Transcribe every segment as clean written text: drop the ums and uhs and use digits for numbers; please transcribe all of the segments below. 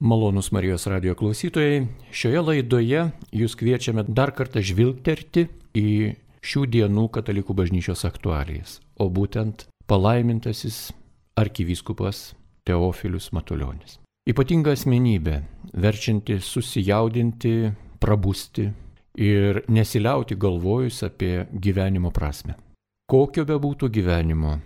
Malonūs Marijos radijo klausytojai, šioje laidoje jūs kviečiame dar kartą žvilgterti į šių dienų katalikų bažnyčios aktualijas, o būtent palaimintasis arkivyskupas Teofilius Matulionis. Ypatinga asmenybė, verčianti susijaudinti, prabusti ir nesiliauti galvojus apie gyvenimo prasmę. Kokio bebūtų gyvenimo,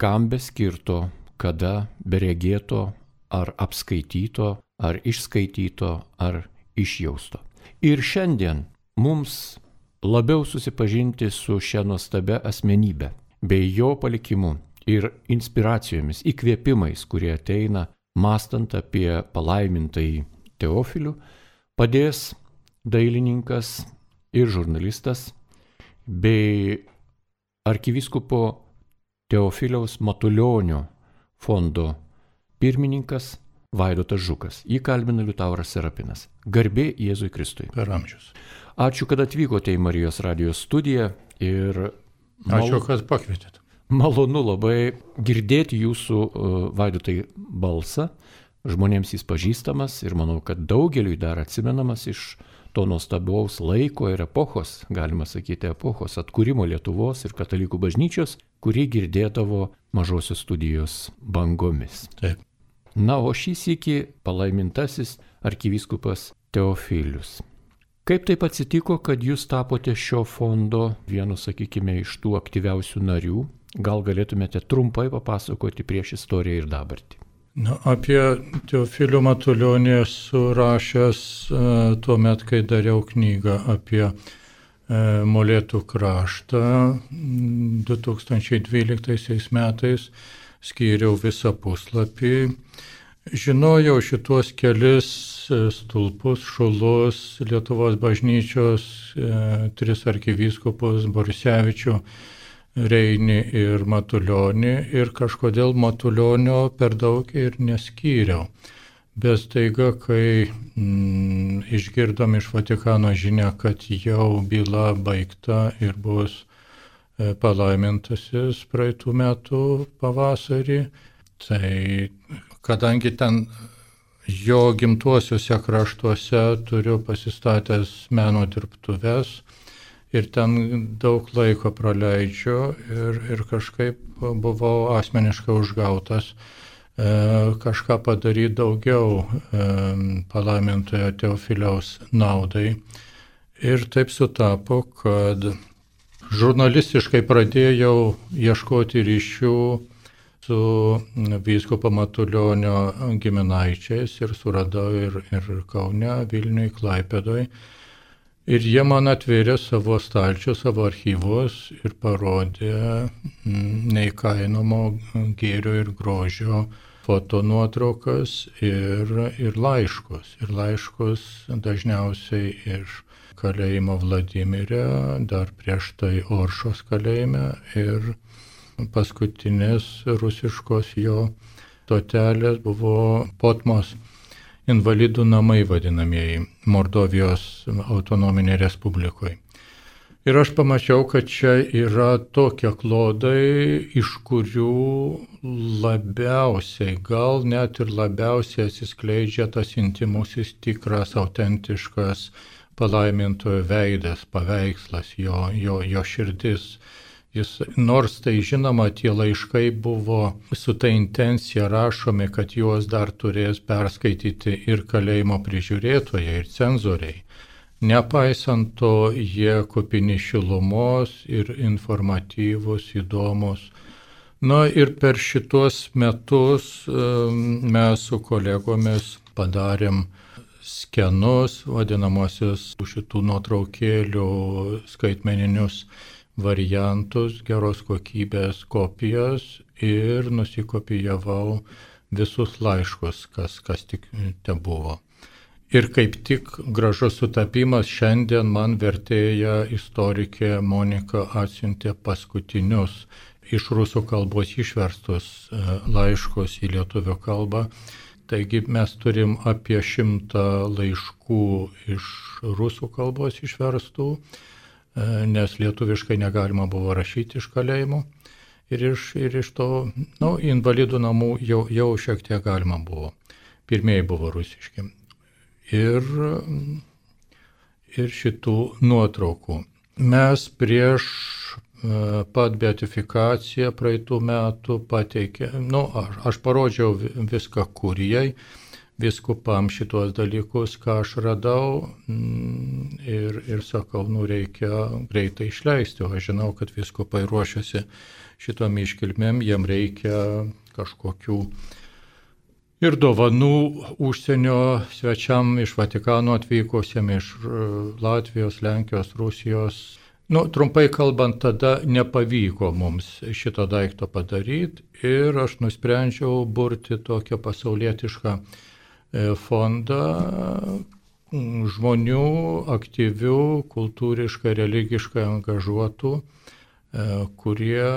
kam beskirto, kada beregėto ar apskaityto, ar išskaityto, ar išjausto. Ir šiandien mums labiau susipažinti su šia nuostabia asmenybe, bei jo palikimu ir inspiracijomis, įkvėpimais, kurie ateina, mąstant apie palaimintąjį Teofilių, padės dailininkas ir žurnalistas, bei arkivyskupo Teofiliaus Matulionio fondo pirmininkas Vaidotas Žukas. Jį kalbina Liutauras Serapinas. Garbė Jėzui Kristui. Per amžius. Ačiū, kad atvykote į Marijos radijos studiją ir Ačiū, kad pakvietėte. Malonu labai girdėti jūsų Vaidotai balsą. Žmonėms jis pažįstamas ir manau, kad daugeliui dar atsimenamas iš to nuostabaus laiko ir epochos, galima sakyti, epochos atkūrimo Lietuvos ir katalikų bažnyčios, kurį girdėdavo Mažosios studijos bangomis. Taip. Na, o šį sykį palaimintasis arkivyskupas Teofilius. Kaip taip atsitiko, kad jūs tapote šio fondo vienu, sakykime, iš tų aktyviausių narių? Gal galėtumėte trumpai papasakoti prieš istoriją ir dabartį? Na, apie Teofilių Matulionį esu rašęs tuo met, kai dariau knygą apie Molėtų kraštą 2012 metais. Skyriau visą puslapį. Žinojau šituos kelis stulpus, šulus Lietuvos bažnyčios, tris arkivyskupus Borisevičių, Reinį ir Matulionį, ir kažkodėl Matulionio per daug ir neskyriau. Bet staiga, kai išgirdom iš Vatikano žinią, kad jau byla baigta ir bus palaimintasis praeitų metų pavasarį, tai kadangi ten jo gimtuosiuose kraštuose turiu pasistatęs meno dirbtuves ir ten daug laiko praleidžiu ir kažkaip buvau asmeniškai užgautas kažką padaryti daugiau palaimintojo Teofiliaus naudai. Ir taip sutapo, kad žurnalistiškai pradėjau ieškoti ryšių su vyskupo Matulionio giminaičiais ir suradau ir Kaune, Vilniuje, Klaipėdoje. Ir jie man atvėrė savo stalčių, savo archyvus ir parodė neįkainomo gėrio ir grožio fotonuotraukas ir laiškus. Ir laiškus dažniausiai iš kalėjimo Vladimirė, dar prieš tai Oršos kalėjime ir paskutinės rusiškos jo stotelės buvo Potmos invalidų namai vadinamieji Mordovijos autonominė respublikoje. Ir aš pamačiau, kad čia yra tokie klodai, iš kurių labiausiai, gal net ir labiausiai atsiskleidžia tas intimusis, tikras, autentiškas palaimintojo veidas, paveikslas, jo širdis. Jis, nors tai žinoma, tie laiškai buvo su ta intencija rašomi, kad juos dar turės perskaityti ir kalėjimo prižiūrėtojai, ir cenzoriai. Nepaisant to, jie kupini šilumos ir informatyvus, įdomus. Na ir per šitos metus mes su kolegomis padarėm skenus, vadinamosius šitų nuotraukėlių skaitmeninius variantus, geros kokybės kopijas ir nusikopijavau visus laiškus, kas tik te buvo. Ir kaip tik gražus sutapimas, šiandien man vertėja istorikė Monika atsiuntė paskutinius iš rusų kalbos išverstus laiškus į lietuvių kalbą. Taigi mes turim apie 100 laiškų iš rusų kalbos išverstų, nes lietuviškai negalima buvo rašyti iš kalėjimų. Ir iš to invalidų namų jau šiek tiek galima buvo. pirmieji buvo rusiški. Ir šitų nuotraukų. Mes prieš pat beatifikaciją praeitų metų aš parodžiau viską kurijai, viskupam šitos dalykus, ką aš radau ir sakau, reikia greitai išleisti, o aš žinau, kad viskupai ruošiasi šitom iškilmėm, jiem reikia kažkokių ir dovanų užsienio svečiam iš Vatikano atvykusiem, iš Latvijos, Lenkijos, Rusijos. Trumpai kalbant, tada nepavyko mums šito daikto padaryti ir aš nusprendžiau burti tokią pasaulietišką fondą žmonių aktyvių, kultūriškai, religiškai angažuotų, kurie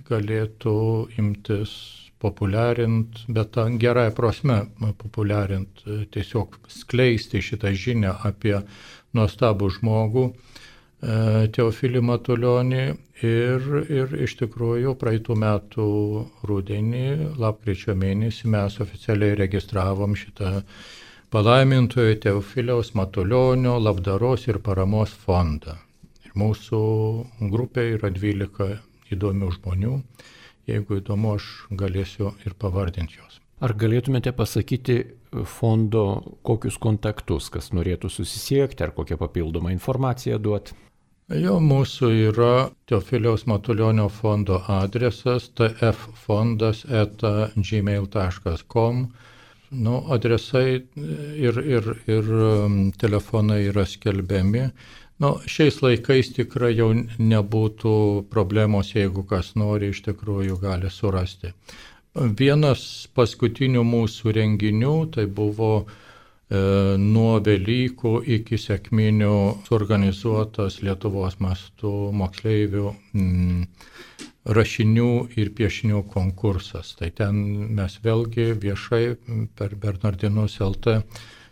galėtų imtis populiarinti, bet tą gerąją prasme populiarinti, tiesiog skleisti šitą žinią apie nuostabų žmogų, Teofilį Matulionį ir iš tikrųjų praeitų metų rudenį, lapkričio mėnesį mes oficialiai registravom šitą palaimintojo Teofiliaus Matulionio labdaros ir paramos fondą. Ir mūsų grupė yra 12 įdomių žmonių. Jeigu įdomu, aš galėsiu ir pavardinti juos. Ar galėtumėte pasakyti fondo kokius kontaktus, kas norėtų susisiekti, ar kokią papildomą informaciją duoti? Mūsų yra Teofiliaus Matulionio fondo adresas tffondas@gmail.com. Adresai ir telefonai yra skelbiami. Šiais laikais tikrai jau nebūtų problemos, jeigu kas nori, iš tikrųjų gali surasti. Vienas paskutinių mūsų renginių tai buvo nuo Velykų iki Sekminių suorganizuotas Lietuvos mastų moksleivių rašinių ir piešinių konkursas. Tai ten mes vėlgi viešai per Bernardinus LT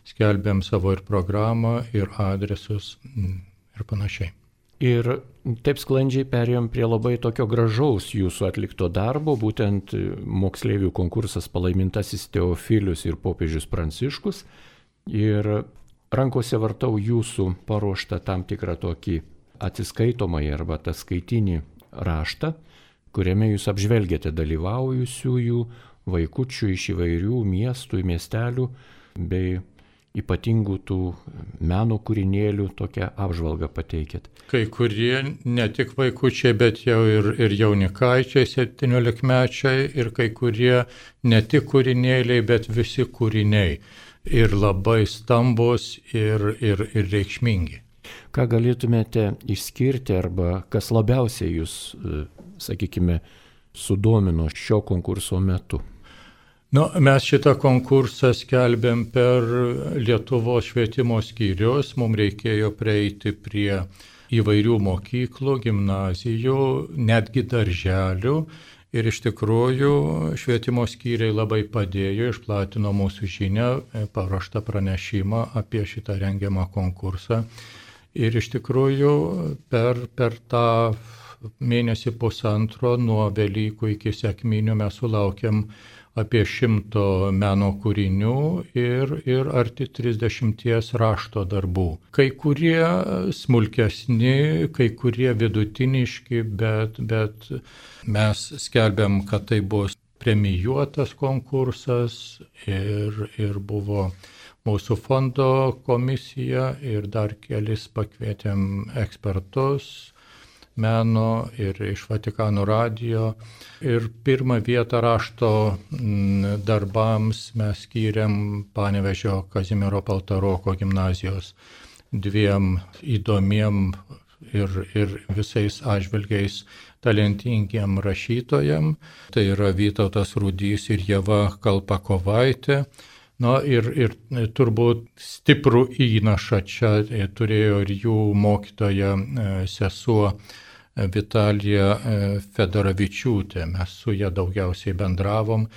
skelbėm savo ir programą, ir adresus ir panašiai. Ir taip sklandžiai perėjom prie labai tokio gražaus jūsų atlikto darbo, būtent moksleivių konkursas Palaimintasis Teofilius ir popiežius Pranciškus. Ir rankose vartau jūsų paruoštą tam tikrą tokį atsiskaitomąjį arba ataskaitinį raštą, kuriame jūs apžvelgiate dalyvaujusiųjų vaikučių iš įvairių miestų, miestelių bei ypatingų tų meno kūrinėlių tokią apžvalgą pateikėt. Kai kurie ne tik vaikučiai, bet jau ir jaunikaičiai, 17-mečiai, ir kai kurie ne tik kūrinėliai, bet visi kūriniai. Ir labai stambus ir reikšmingi. Ką galėtumėte išskirti arba kas labiausiai jūs, sakykime, sudomino šio konkurso metu? Mes šitą konkursą skelbėm per Lietuvos švietimo skyrius. Mums reikėjo prieiti prie įvairių mokyklų, gimnazijų, netgi darželių. Ir iš tikrųjų švietimo skyriai labai padėjo, išplatino mūsų žinią, paruoštą pranešimą apie šitą rengiamą konkursą. Ir iš tikrųjų per tą mėnesį pusantro nuo Velykų iki Sekminių mes sulaukėm apie 100 meno kūrinių ir arti 30 rašto darbų. Kai kurie smulkesni, kai kurie vidutiniški, bet mes skelbėm, kad tai bus premijuotas konkursas ir buvo mūsų fondo komisija ir dar kelis pakvietėm ekspertus meno ir iš Vatikano radijo. Ir pirmą vietą rašto darbams mes skyrėm Panevėžio Kazimiero Paltaroko gimnazijos 2 įdomiem ir visais atžvilgiais talentingiem rašytojam. Tai yra Vytautas Rudys ir Ieva Kalpakovaitė. Ir turbūt stiprų įnašą čia turėjo ir jų mokytoja sesuo Vitalija Fedoravičiūtė. Mes su ja daugiausiai bendravom.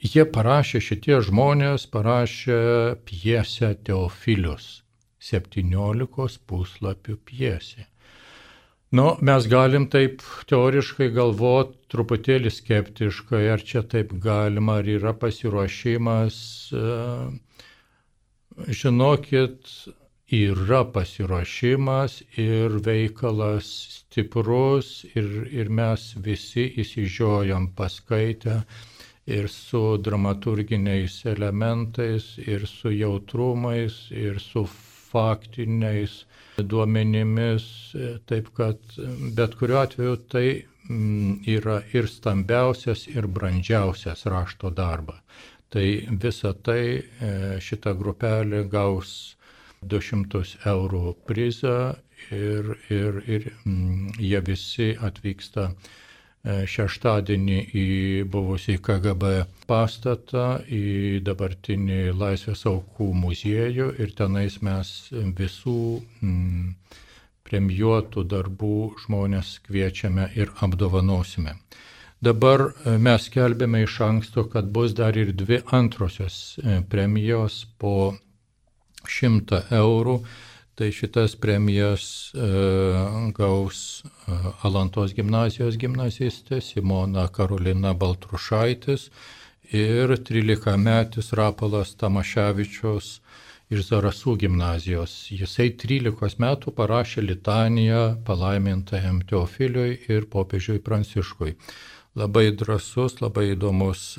Šitie žmonės parašė pjesę Teofilius, 17 puslapių pjesė. Mes galim taip teoriškai galvoti truputėlį skeptiškai, ar čia taip galima, ar yra pasiruošimas. Žinokit, yra pasiruošimas ir veikalas stiprus ir mes visi įsižiojam paskaitę ir su dramaturginiais elementais, ir su jautrumais, ir su faktiniais duomenimis, taip kad bet kuriuo atveju tai yra ir stambiausias, ir brandžiausias rašto darbas. Tai visa tai šita grupelė gaus 200 eurų prizą ir jie visi atvyksta šeštadienį į buvusį KGB pastatą, į dabartinį Laisvės aukų muziejų ir tenais mes visų premijuotų darbų žmonės kviečiame ir apdovanosime. Dabar mes skelbėme iš anksto, kad bus dar ir 2 antrosios premijos po 100 eurų. Tai šitas premijas gaus Alantos gimnazijos gimnazistė Simona Karolina Baltrušaitis ir 13-metis Rapolas Tamaševičius iš Zarasų gimnazijos. Jisai 13 metų parašė litaniją palaimintajam Teofiliui ir popiežiui Pranciškui. Labai drąsus, labai įdomus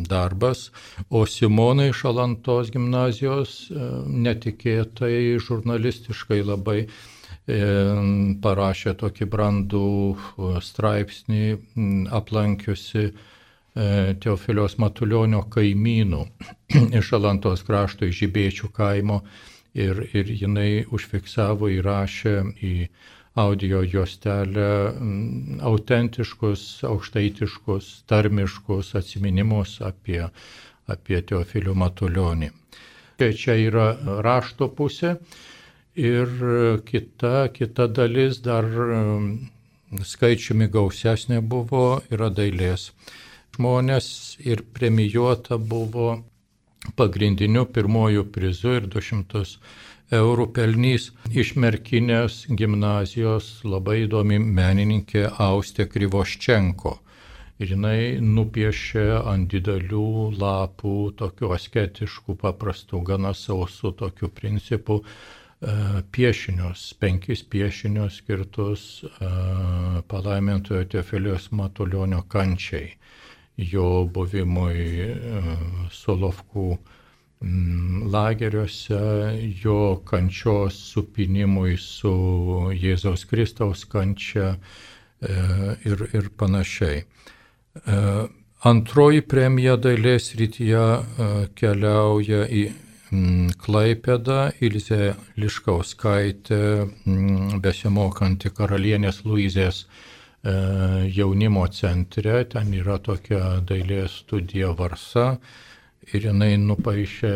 darbas. O Simona iš Alantos gimnazijos netikėtai žurnalistiškai labai parašė tokį brandų straipsnį, aplankiusi Teofiliaus Matulionio kaimynų iš Alantos krašto, iš Žibėčių kaimo ir jinai užfiksavo, įrašė į audio juostelę autentiškus, aukštaitiškus, tarmiškus atsiminimus apie Teofilių Matulionį. Čia yra rašto pusė ir kita dalis dar skaičiumi gausesnė buvo, yra dailės žmonės ir premijuota buvo pagrindiniu pirmojų prizu ir 200 eurų pelnys iš Merkinės gimnazijos labai įdomi menininkė Austė Krivoščenko. Ir jinai nupiešė ant didelių lapų, tokių asketiškų, paprastų, gana sausų tokių principų piešinius, 5 piešinius skirtus palaimintojo Teofiliaus Matulionio kančiai, jo buvimui Solovkų lageriuose, jo kančios supinimui su Jėzaus Kristaus kančia ir panašiai. Antroji premija dailės srityje keliauja į Klaipėdą, Ilzė Liškauskaitė, besimokanti Karalienės Luizės jaunimo centre, ten yra tokia dailės studija Varsa. Ir jinai nupaišė,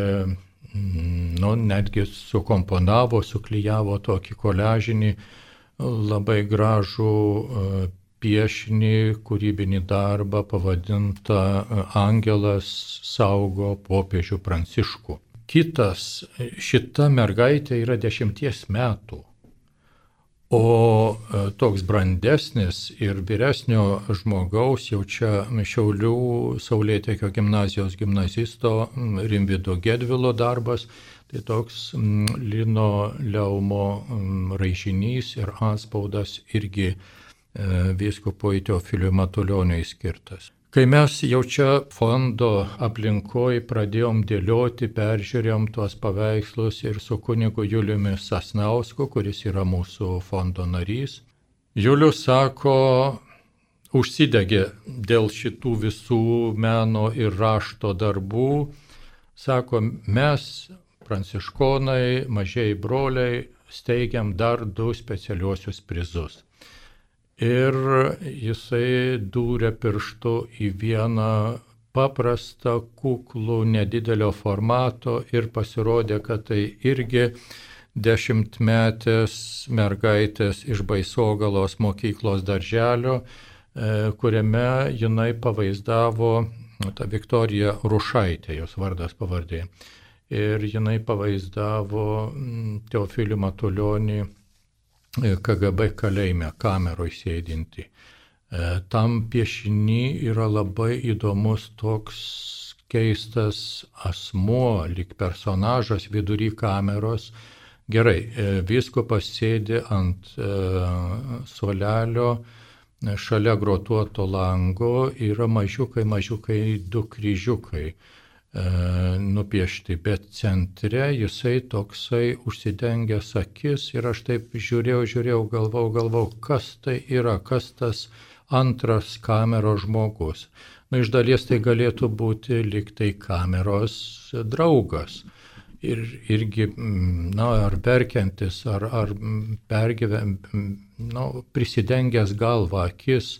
netgi sukomponavo, suklijavo tokį koliažinį, labai gražų piešinį, kūrybinį darbą pavadintą Angelas saugo popiežių Pranciškų. Šita mergaitė yra 10 metų, o toks brandesnis ir vyresnio žmogaus, jau čia Šiaulių Saulėtekio gimnazijos gimnazisto Rimvydo Gedvilo darbas, tai toks lino leumo raižinys ir atspaudas irgi vyskupui Teofiliui Matulioniui skirtas. Kai mes jau čia fondo aplinkoje pradėjom dėlioti, peržiūrėjom tuos paveikslus ir su kunigu Juliumi Sasnausku, kuris yra mūsų fondo narys, Julius sako, užsidegė dėl šitų visų meno ir rašto darbų, sako, mes, pranciškonai, mažieji broliai, steigiam dar 2 specialiuosius prizus. Ir jisai dūrė pirštu į vieną paprastą, kuklų, nedidelio formato ir pasirodė, kad tai irgi 10-metės mergaitės iš Baisogalos mokyklos darželio, kuriame jinai pavaizdavo, ta Viktorija Rušaitė, jos vardas pavardė, ir jinai pavaizdavo Teofilių Matulionį KGB kalėjime, kameroje sėdinti. Tam piešiny yra labai įdomus toks keistas asmuo, lyg personažas vidury kameros. Gerai, vyskupas sėdi ant suolelio, šalia grotuoto lango yra mažiukai du kryžiukai nupiešti, bet centre jisai toksai užsidengęs akis ir aš taip žiūrėjau, galvau, kas tai yra, kas tas antras kameros žmogus. Iš dalies tai galėtų būti lyg tai kameros draugas. Ir irgi, ar verkiantis, ar prisidengęs galvą, akis,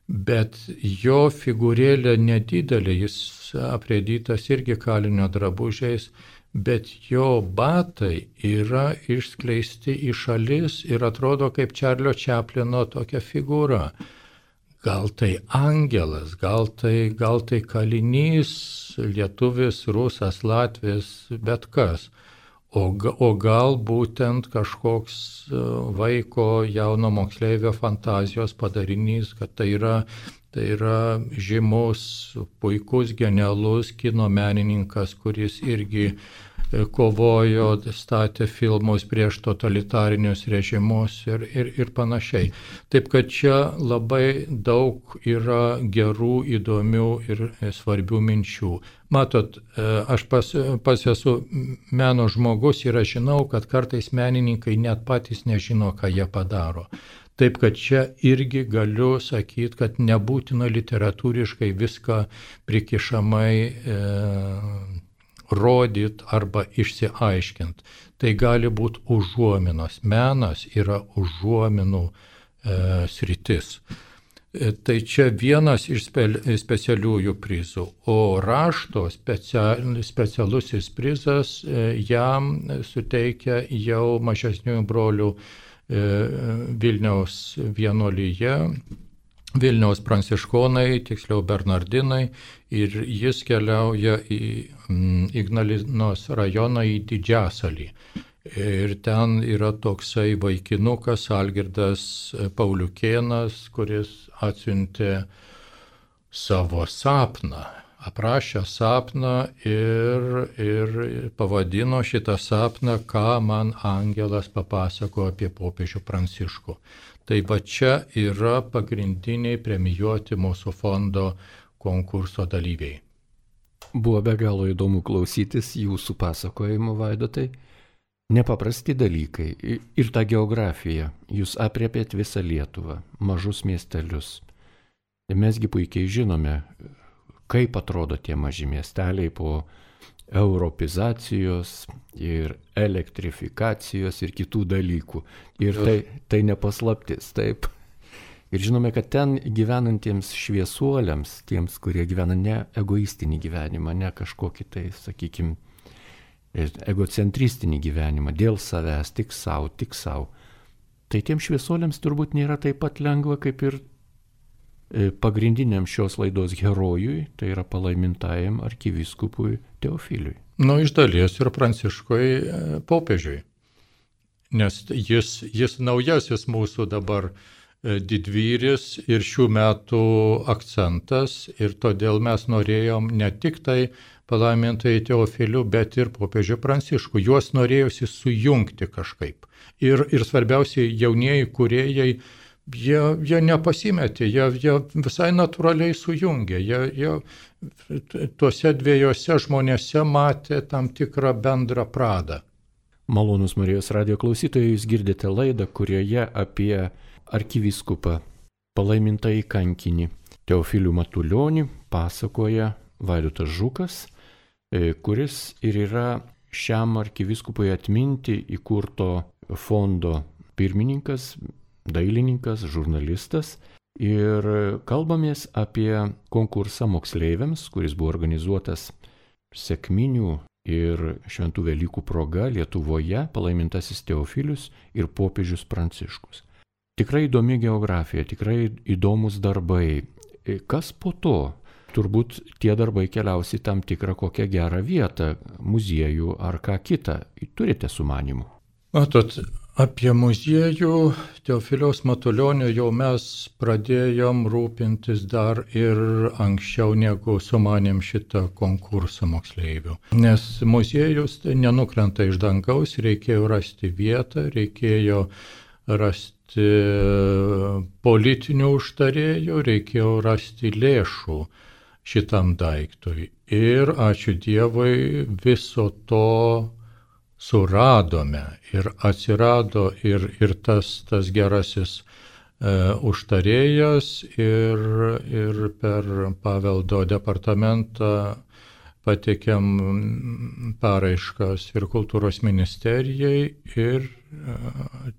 bet jo figūrėlė nedidelė, jis aprėdytas irgi kalinio drabužiais, bet jo batai yra išskleisti į šalis ir atrodo kaip Čarlio Čaplino tokia figūra. Gal tai angelas, gal tai kalinys, lietuvis, rusas, latvis, bet kas. O gal būtent kažkoks vaiko jauno moksleivio fantazijos padarinys, kad tai yra žymus, puikus, genialus kino menininkas, kuris irgi kovojo, statė filmus prieš totalitarinius režimus ir panašiai. Taip kad čia labai daug yra gerų, įdomių ir svarbių minčių. Matot, aš pas esu meno žmogus ir aš žinau, kad kartais menininkai net patys nežino, ką jie padaro. Taip kad čia irgi galiu sakyti, kad nebūtina literatūriškai viską prikišamai rodyt arba išsiaiškint. Tai gali būti užuominos. Menas yra užuominų sritis. Tai čia vienas iš specialiųjų prizų. O rašto specialusis prizas jam suteikia jau mažesniųjų brolių Vilniaus vienuolyje, Vilniaus pranciškonai, tiksliau Bernardinai, ir jis keliauja į Ignalinos rajoną į Didžiasalį. Ir ten yra toksai vaikinukas Algirdas Pauliukėnas, kuris atsiuntė savo sapną, aprašė sapną ir pavadino šitą sapną, ką man angelas papasako apie popiežių Pranciškų. Tai va čia yra pagrindiniai premijuoti mūsų fondo konkurso dalyviai. Buvo be galo įdomu klausytis jūsų pasakojimo, Vaidotai. Nepaprasti dalykai. Ir ta geografija. Jūs apriepėt visą Lietuvą, mažus miestelius. Mesgi puikiai žinome, kaip atrodo tie maži miesteliai po europizacijos ir elektrifikacijos ir kitų dalykų. Ir tai nepaslaptis, taip. Ir žinome, kad ten gyvenantiems šviesuoliams, tiems, kurie gyvena ne egoistinį gyvenimą, ne kažkokį tai, sakykime, egocentristinį gyvenimą, dėl savęs, tik savo, tai tiems šviesuoliams turbūt nėra taip pat lengva, kaip ir pagrindiniam šios laidos herojui, tai yra palaimintajam arkivyskupui Teofiliui. Iš dalies ir Pranciškui popiežiui, nes jis naujasis mūsų dabar didvyris ir šių metų akcentas, ir todėl mes norėjom ne tik tai palaimintai Teofilių, bet ir popiežių Pranciškų. Juos norėjusi sujungti kažkaip. Ir svarbiausiai jaunieji kūrėjai, jie nepasimetė, jie visai natūraliai sujungė. Jie tuose dviejose žmonėse matė tam tikrą bendrą pradą. Malonūs Marijos radijo klausytojai, jūs girdite laidą, kurioje apie arkivyskupą palaimintąjį kankinį Teofilių Matulionį pasakoja Vaidotas Žukas, kuris ir yra šiam arkivyskupui atminti įkurto fondo pirmininkas, dailininkas, žurnalistas. Ir kalbamės apie konkursą moksleiviams, kuris buvo organizuotas Sekminių ir Šventų Velykų proga Lietuvoje, palaimintasis Teofilius ir popiežius Pranciškus. Tikrai įdomi geografija, tikrai įdomus darbai. Kas po to? Turbūt tie darbai keliausi tam tikrą kokią gerą vietą, muziejų ar ką kitą. Turite sumanimų? Matot, Apie muziejų Teofiliaus Matulionio jau mes pradėjom rūpintis dar ir anksčiau, negu sumanėm šitą konkursą moksleivių. Nes muziejus nenukrenta iš dangaus, reikėjo rasti vietą, reikėjo rasti politinių užtarėjų, reikėjo rasti lėšų šitam daiktui. Ir ačiū Dievui, viso to suradome ir atsirado ir tas gerasis užtarėjas ir per paveldo departamentą pateikėm paraiškas ir kultūros ministerijai ir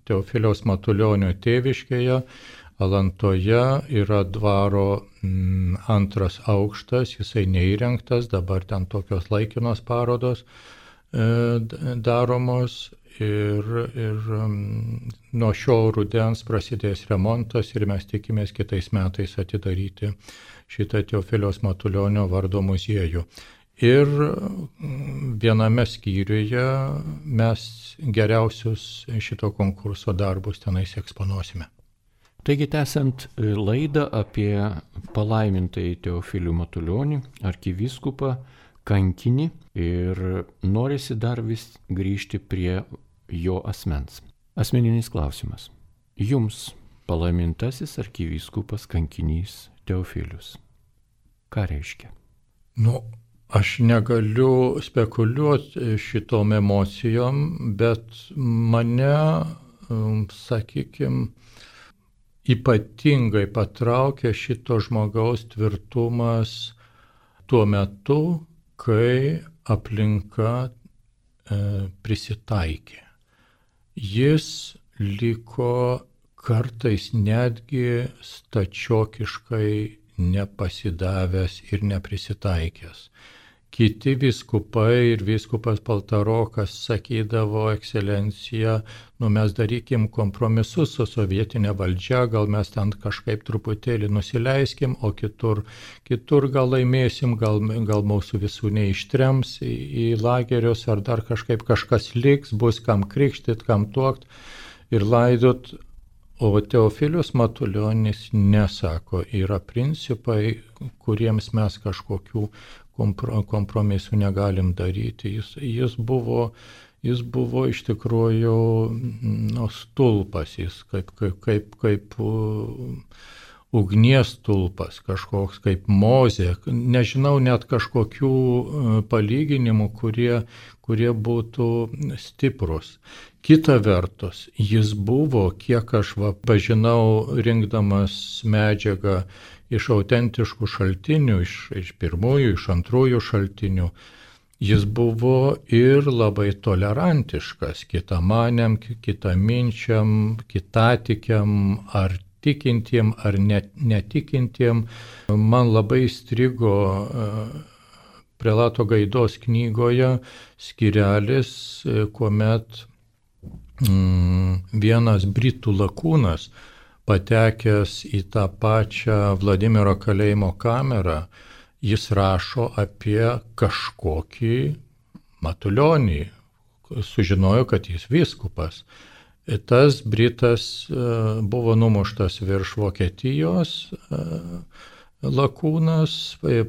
Teofiliaus Matulionio tėviškėje Alantoje yra dvaro antras aukštas, jisai neįrengtas, dabar ten tokios laikinos parodos daromos ir nuo šio rudens prasidės remontas ir mes tikimės kitais metais atidaryti šitą Teofiliaus Matulionio vardo muziejų. Ir viename skyriuje mes geriausius šito konkurso darbus tenais eksponuosime. Taigi, tęsiant laidą apie palaimintąjį Teofilių Matulionį, arkivyskupą, kankinį, ir norisi dar vis grįžti prie jo asmens. Asmeninis klausimas. Jums palaimintasis arkivyskupas kankinys Teofilius. Ką reiškia? Aš negaliu spekuliuoti šitom emocijom, bet mane, sakykime, ypatingai patraukė šito žmogaus tvirtumas tuo metu, kai aplinka prisitaikė. Jis liko kartais netgi stačiokiškai nepasidavęs ir neprisitaikęs. Kiti vyskupai ir vyskupas Paltarokas sakydavo, ekscelencija, mes darykim kompromisus su sovietinė valdžia, gal mes ten kažkaip truputėlį nusileiskim, o kitur gal laimėsim, gal mūsų visų neištrems į lagerius, ar dar kažkaip kažkas liks, bus kam krikštyt, kam tuokt ir laidot. O Teofilius Matulionis nesako, yra principai, kuriems mes kažkokių kompromisų negalim daryti. Jis buvo iš tikrųjų stulpas, jis kaip ugnies stulpas, kažkoks kaip Mozė. Nežinau net kažkokių palyginimų, kurie būtų stiprus. Kita vertus, jis buvo, kiek aš pažinau, rinkdamas medžiagą iš autentiškų šaltinių, iš pirmųjų, iš antrųjų šaltinių, jis buvo ir labai tolerantiškas kitamanėm, kitaminčiam, kitatikiam, ar tikintiem, ar netikintiem. Man labai įstrigo prelato Gaidos knygoje skyrelis, kuomet vienas britų lakūnas, patekęs į tą pačią Vladimiro kalėjimo kamerą, jis rašo apie kažkokį Matulionį, sužinojo, kad jis vyskupas. Tas britas buvo numuštas virš Vokietijos, lakūnas,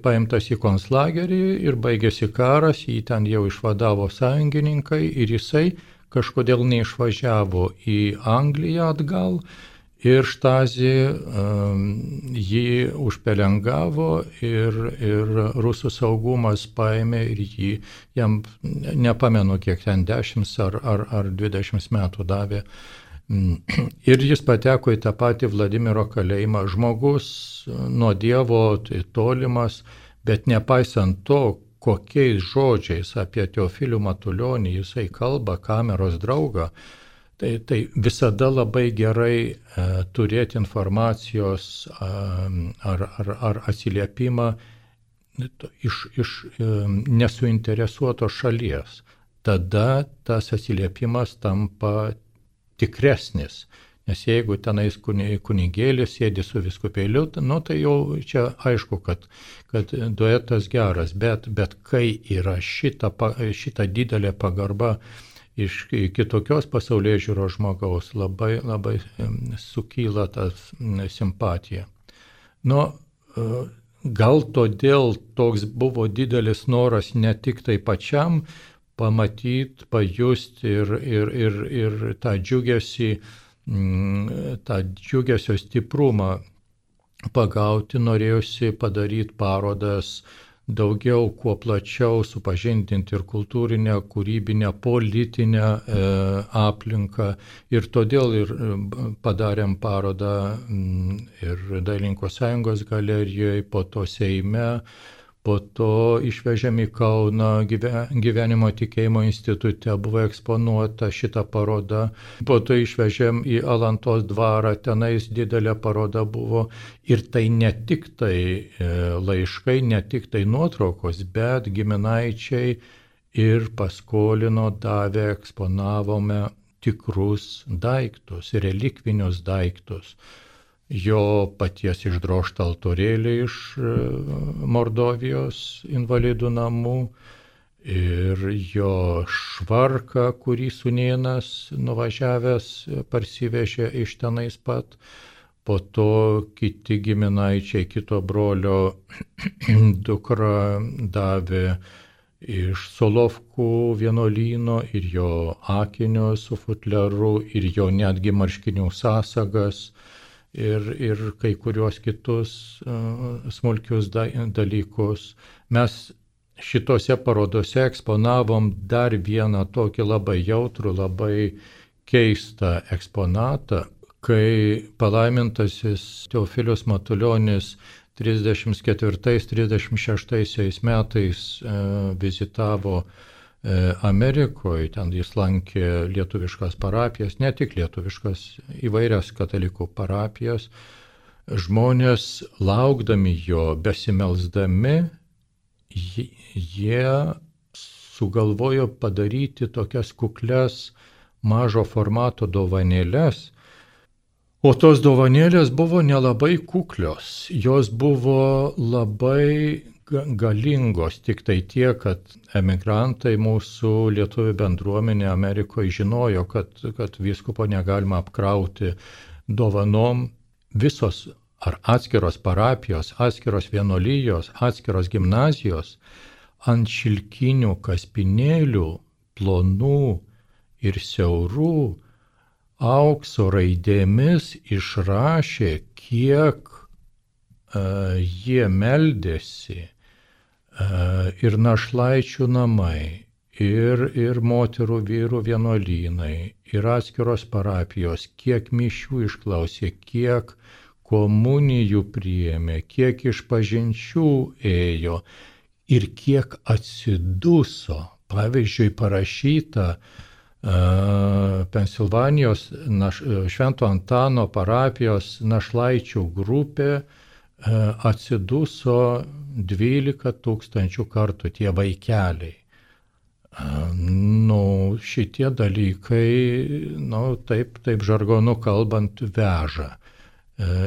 paimtas į konclagerį ir baigėsi karas, jį ten jau išvadavo sąjungininkai ir jisai kažkodėl neišvažiavo į Angliją atgal ir Štazį jį užpelengavo ir rusų saugumas paėmė ir jam nepamenu kiek ten 10 ar 20 metų davė. Ir jis pateko į tą patį Vladimiro kalėjimą. Žmogus nuo Dievo tolimas, bet nepaisant to, kokiais žodžiais apie Teofilių Matulionį jisai kalba, kameros draugą, tai visada labai gerai turėti informacijos ar atsiliepimą iš nesuinteresuotos šalies. Tada tas atsiliepimas tampa tikresnis. Nes jeigu tenais kunigėlis sėdi su vyskupėliu, tai jau čia aišku, kad duetas geras, bet kai yra šita didelė pagarba iš kitokios pasaulėžiūros žmogaus labai, labai sukyla tas simpatija. Nu, gal todėl toks buvo didelis noras ne tik tai pačiam pamatyti, pajusti ir tą džiugesio stiprumą pagauti, norėjusi padaryti parodas daugiau, kuo plačiau supažindinti ir kultūrinę, kūrybinę, politinę aplinką. Ir todėl ir padarėm parodą ir Dailininkų sąjungos galerijoje, po to Seime, po to išvežėm į Kauną, Gyvenimo tikėjimo institute buvo eksponuota šita paroda, po to išvežėm į Alantos dvarą, tenais didelė paroda buvo. Ir tai ne tik tai laiškai, ne tik tai nuotraukos, bet giminaičiai ir paskolino, davė, eksponavome tikrus daiktus, relikvinius daiktus. Jo paties išdrožtą altorėlį iš Mordovijos invalidų namų ir jo švarką, kurį sūnėnas nuvažiavęs parsivežė iš tenais pat. Po to kiti giminaičiai, kito brolio dukra davė iš Solovkų vienuolyno ir jo akinių su futleru, ir jo netgi marškinių sąsagas. Ir kai kuriuos kitus smulkius dalykus. Mes šitose parodose eksponavom dar vieną tokį labai jautrų, labai keistą eksponatą, kai palaimintasis Teofilius Matulionis 34-36 metais vizitavo Amerikoje, ten jis lankė lietuviškas parapijas, ne tik lietuviškas, įvairias katalikų parapijas. Žmonės laukdami jo, besimelsdami, jie sugalvojo padaryti tokias kuklias mažo formato dovanėlės. O tos dovanėlės buvo nelabai kuklios, jos buvo labai galingos, tik tai tiek, kad emigrantai, mūsų lietuvių bendruomenė Amerikoje žinojo, kad vyskupo negalima apkrauti dovanom. Visos ar atskiros parapijos, atskiros vienuolijos, atskiros gimnazijos ant šilkinių kaspinėlių, plonų ir siaurų, aukso raidėmis išrašė, kiek jie meldėsi. Ir našlaičių namai, ir moterų vyrų vienuolynai, ir atskiros parapijos, kiek mišių išklausė, kiek komunijų priėmė, kiek išpažinčių ėjo ir kiek atsiduso. Pavyzdžiui, parašyta Pensilvanijos Švento Antano parapijos našlaičių grupė atsiduso 12 000 kartų tie vaikeliai. Šitie dalykai, taip žargonu kalbant, veža.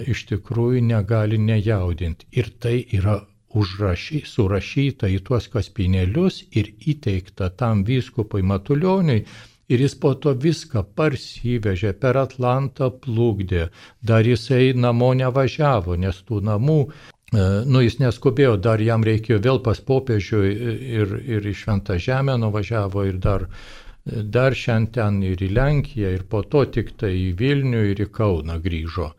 Iš tikrųjų negali nejaudinti. Ir tai yra surašyta į tuos kaspinėlius ir įteikta tam vyskupui Matulioniui. Ir jis po to viską parsivežė, per Atlantą plukdė. Dar jisai namo nevažiavo, nes tų namų, jis neskubėjo, dar jam reikėjo vėl pas popiežių ir į Šventą Žemę nuvažiavo ir dar šiandien ir į Lenkiją ir po to tik tai į Vilnių ir į Kauną grįžo.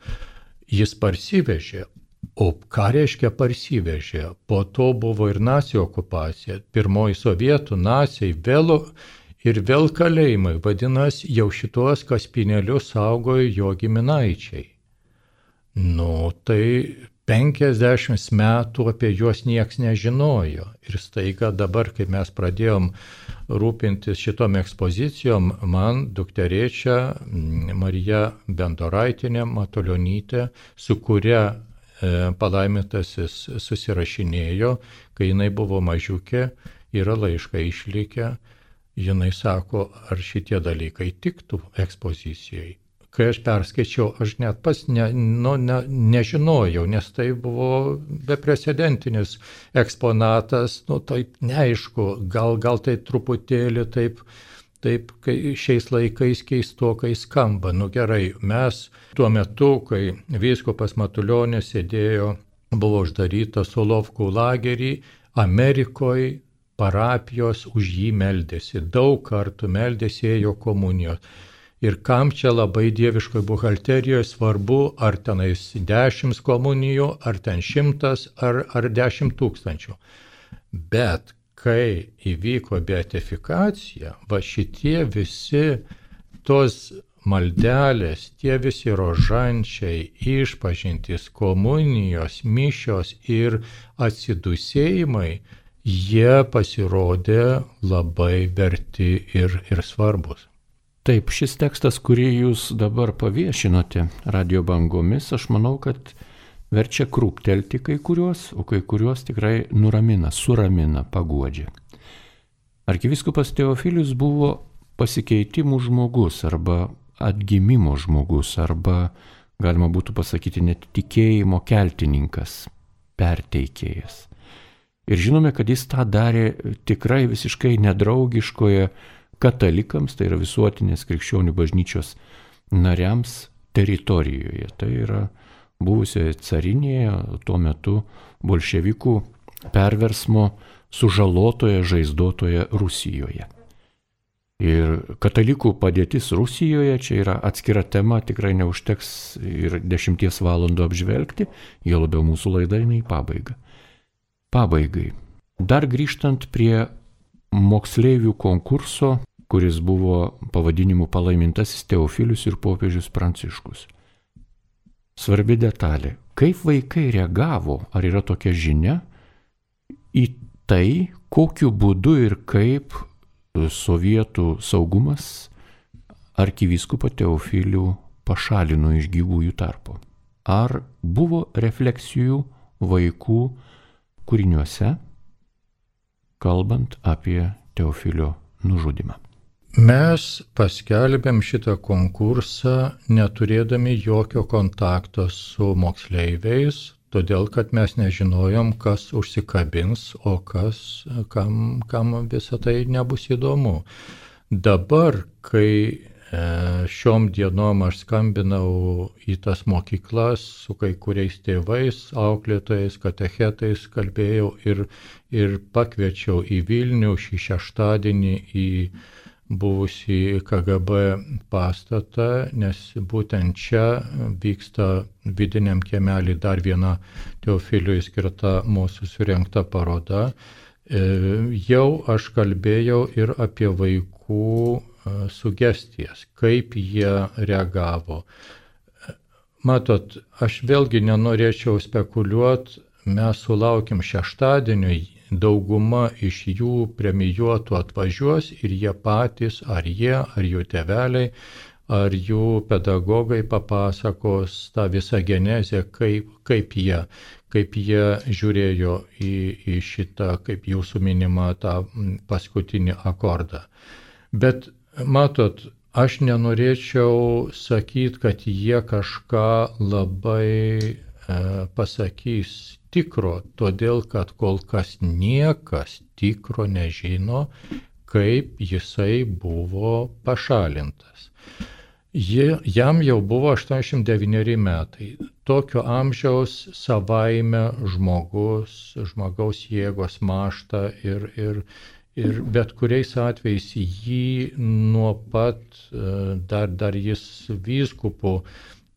Jis parsivežė, o ką reiškia parsivežė? Po to buvo ir nacių okupacija, pirmoji sovietų, naciai, ir vėl kalėjimai, vadinasi, jau šitos kaspinėlius saugojo jo giminaičiai. Tai 50 metų apie juos nieks nežinojo. Ir staiga dabar, kai mes pradėjom rūpintis šitom ekspozicijom, man dukterėčia Marija Bendoraitinė Matulionytė, su kuria palaimintasis susirašinėjo, kai jinai buvo mažiukė, yra laiškai išlikę. Jinai sako, ar šitie dalykai tiktų ekspozicijai. Kai aš perskaičiau, aš net pas nežinojau, nes tai buvo beprecedentinis eksponatas, taip neaišku, gal tai truputėlį taip taip šiais laikais keistokai skamba. Nu gerai, mes tuo metu, kai vyskupas Matulionis buvo uždarytas Solovkų lagerį, Amerikoje parapijos už jį meldėsi, daug kartų meldėsi, ėjo komunijos. Ir kam čia labai dieviškoje buhalterijoje svarbu, ar tenais 10 komunijų, ar ten 100, ar 10 000. Bet kai įvyko beatifikacija, va šitie visi tos maldelės, tie visi rožančiai, išpažintys, komunijos, mišios ir atsidūsėjimai, jie pasirodė labai verti ir svarbus. Taip, šis tekstas, kurį jūs dabar paviešinote radio bangomis, aš manau, kad verčia krūptelti kai kuriuos, o kai kuriuos tikrai nuramina, suramina, paguodžia. Arkivyskupas Teofilius buvo pasikeitimų žmogus arba atgimimo žmogus, arba galima būtų pasakyti net tikėjimo keltininkas, perteikėjas. Ir žinome, kad jis tą darė tikrai visiškai nedraugiškoje katalikams, tai yra visuotinės krikščionių bažnyčios nariams teritorijoje. Tai yra buvusioje carinėje, tuo metu bolševikų perversmo sužalotoje, žaizdotoje Rusijoje. Ir katalikų padėtis Rusijoje čia yra atskira tema, tikrai neužteks ir 10 valandų apžvelgti, jo labiau mūsų laida eina į pabaigą. Pabaigai. Dar grįžtant prie moksleivių konkurso, kuris buvo pavadinimu Palaimintasis Teofilius ir popiežius Pranciškus. Svarbi detalė. Kaip vaikai reagavo, ar yra tokia žinia, į tai, kokiu būdu ir kaip sovietų saugumas arkivyskupą Teofilių pašalino iš gyvųjų tarpo? Ar buvo refleksijų vaikų kūriniuose, kalbant apie Teofilio nužudymą? Mes paskelbėm šitą konkursą neturėdami jokio kontakto su moksleiviais, todėl kad mes nežinojom, kas užsikabins, o kam visą tai nebus įdomu. Dabar, kai šiom dienom aš skambinau į tas mokyklas su kai kuriais tėvais, auklėtojais, katechetais, kalbėjau ir pakviečiau į Vilnių šį šeštadienį į buvusį KGB pastatą, nes būtent čia vyksta vidiniam kiemelį dar viena Teofiliui skirta mūsų surengta paroda. Jau aš kalbėjau ir apie vaikų sugestijas, kaip jie reagavo. Matot, aš vėlgi nenorėčiau spekuliuoti, mes sulaukim šeštadienio, dauguma iš jų premijuotų atvažiuos ir jie patys, ar jų tėveliai, ar jų pedagogai papasakos tą visą genezę, kaip jie žiūrėjo į šitą, kaip jūsų minimą, tą paskutinį akordą. Bet matot, aš nenorėčiau sakyti, kad jie kažką labai pasakys tikro, todėl kad kol kas niekas tikro nežino, kaip jisai buvo pašalintas. Jam jau buvo 89 metai. Tokio amžiaus savaime žmogaus jėgos mąžta ir bet kuriais atvejais jį nuo pat, dar jis vyskupu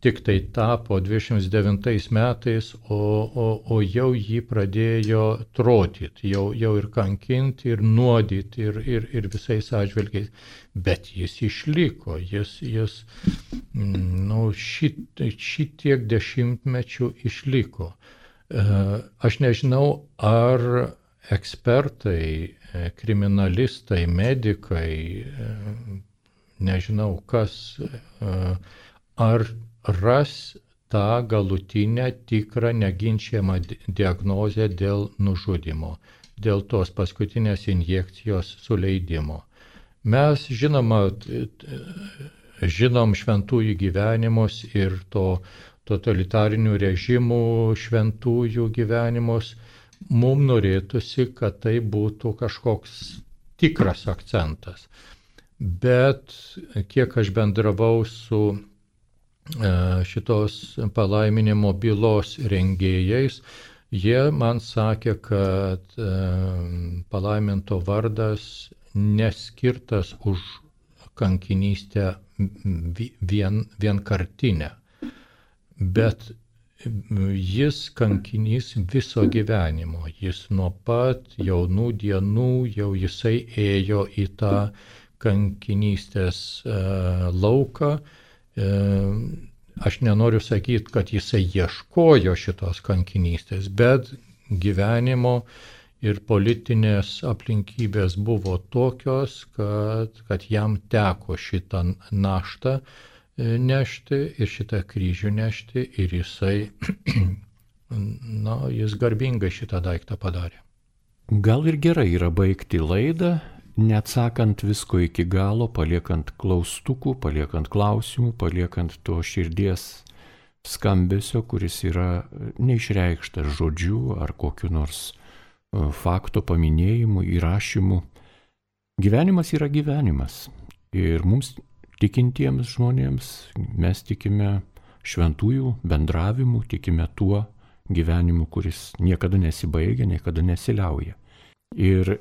tik tai tapo 29 metais, o jau jį pradėjo trodyti, jau ir kankinti, ir nuodyti, ir visais atžvilgiais. Bet jis išliko, jis šitiek dešimtmečių išliko. Aš nežinau, ar ekspertai, kriminalistai, medikai, nežinau kas, ar ras tą galutinę, tikrą, neginčiamą diagnozę dėl nužudymo, dėl tos paskutinės injekcijos suleidimo. Mes žinom šventųjų gyvenimus ir to totalitarinių režimų šventųjų gyvenimus. Mums norėtųsi, kad tai būtų kažkoks tikras akcentas. bet kiek aš bendravau su šitos palaiminimo bylos rengėjais, jie man sakė, kad palaiminto vardas neskirtas už kankinystę vienkartinę, bet jis kankinys viso gyvenimo. Jis nuo pat jaunų dienų jau jisai ėjo į tą kankinystės lauką. Aš nenoriu sakyti, kad jisai ieškojo šitos kankinystės, bet gyvenimo ir politinės aplinkybės buvo tokios, kad jam teko šitą naštą nešti ir šitą kryžių nešti ir jisai, jis garbingai šitą daiktą padarė. Gal ir gerai yra baigti laidą, neatsakant visko iki galo, paliekant klaustukų, paliekant klausimų, paliekant to širdies skambesio, kuris yra neišreikštas žodžiu ar kokiu nors fakto paminėjimu, įrašymu. Gyvenimas yra gyvenimas. Ir mums tikintiems žmonėms mes tikime šventųjų bendravimu, tikime tuo gyvenimu, kuris niekada nesibaigia, niekada nesiliauja. Ir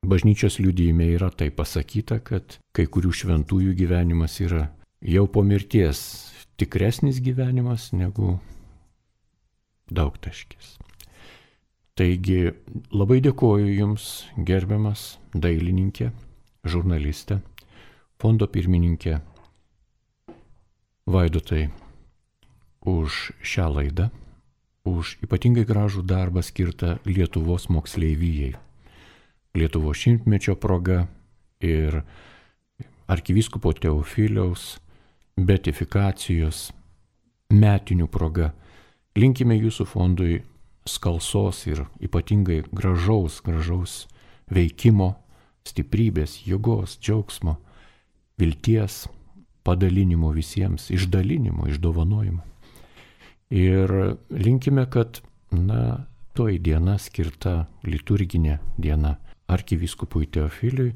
bažnyčios liudijime yra tai pasakyta, kad kai kurių šventųjų gyvenimas yra jau po mirties tikresnis gyvenimas negu daugtaškis. Taigi labai dėkoju Jums, gerbiamas dailininkė, žurnalistė, fondo pirmininkė Vaidotai, už šią laidą, už ypatingai gražų darbą skirtą Lietuvos moksleivijai, Lietuvos šimtmečio proga ir arkivyskupo Teofiliaus beatifikacijos metinių proga. Linkime Jūsų fondui skalsos ir ypatingai gražaus veikimo, stiprybės, jėgos, džiaugsmo, vilties, padalinimo visiems, išdalinimo, išdovanojimo. Ir linkime, kad toji diena skirta liturginė diena arkivyskupui Teofiliui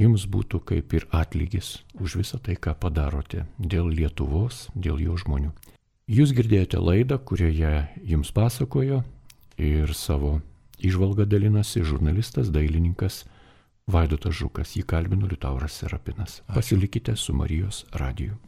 Jums būtų kaip ir atlygis už visą tai, ką padarote dėl Lietuvos, dėl jo žmonių. Jūs girdėjote laidą, kurioje Jums pasakojo ir savo įžvalgą dalinasi žurnalistas, dailininkas Vaidotas Žukas. Jį kalbino Liutauras Serapinas. Pasilikite su Marijos radiju.